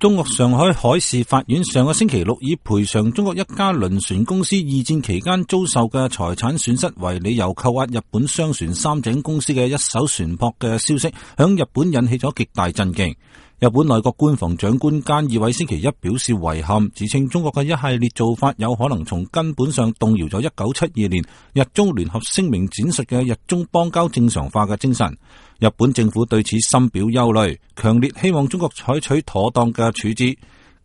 中國上海海事法院上個星期六以賠償中國一家輪船公司二戰期間遭受嘅財產損失為理由，扣押日本商船三井公司嘅一艘船舶嘅消息，響日本引起咗極大震驚。日本內閣官房長官菅義偉星期一表示遺憾，指稱中國嘅一系列做法有可能從根本上動搖咗1972年日中聯合聲明展述嘅日中邦交正常化嘅精神。日本政府對此深表憂慮，強烈希望中國採取妥當嘅處置。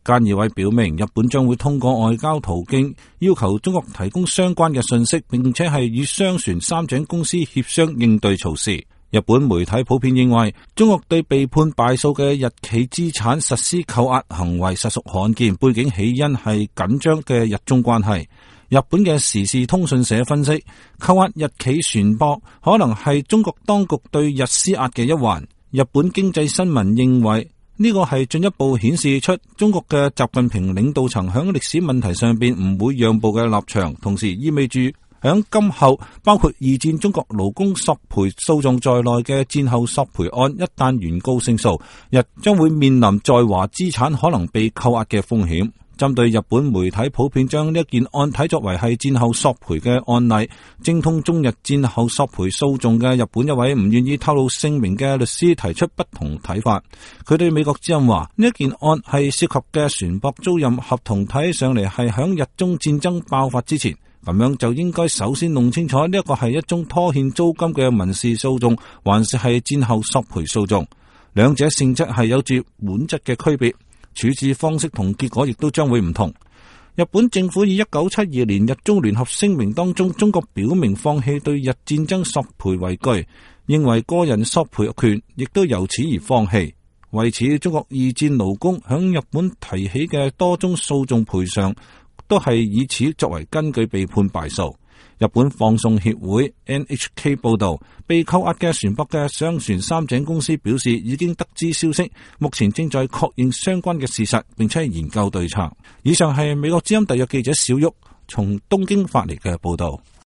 菅義偉表明，日本將會通過外交途徑要求中國提供相關嘅信息，並且係與商船三井公司協商應對措施。日本媒體普遍認為，中國對被判敗訴嘅日企資產實施扣押行為實屬罕見，背景起因係緊張嘅日中關係。日本嘅時事通訊社分析，扣押日企船舶可能係中國當局對日施壓嘅一環。日本經濟新聞認為，呢個係進一步顯示出中國嘅習近平領導層響歷史問題上邊唔會讓步嘅立場，同時意味住響今後包括二戰中國勞工索賠訴訟在內嘅戰後索賠案一旦原告勝訴，日將會面臨在華資產可能被扣押嘅風險。針對日本媒體普遍將呢一件案睇作為係戰後索賠嘅案例，精通中日戰後索賠訴訟嘅日本一位唔願意透露姓名嘅律師提出不同睇法。佢對美國之音話，呢一件案係涉及嘅船舶租賃合同睇起上嚟係響日中戰爭爆發之前，咁樣就應該首先弄清楚呢一個係一宗拖欠租金嘅民事訴訟，還是係戰後索賠訴訟，兩者性質係有住本質嘅區別。處置方式同結果亦都將會唔同。日本政府以1972年日中聯合聲明當中中國表明放棄對日戰爭索賠為據，認為個人索賠權亦都由此而放棄。為此，中國二戰勞工響日本提起嘅多宗訴訟賠償都係以此作為根據被判敗訴。日本放送協會 NHK 報道，被扣押嘅船舶嘅商船三井公司表示已經得知消息，目前正在確認相關嘅事實，並且研究對策。以上係美國之音特約記者小玉從東京發嚟嘅報道。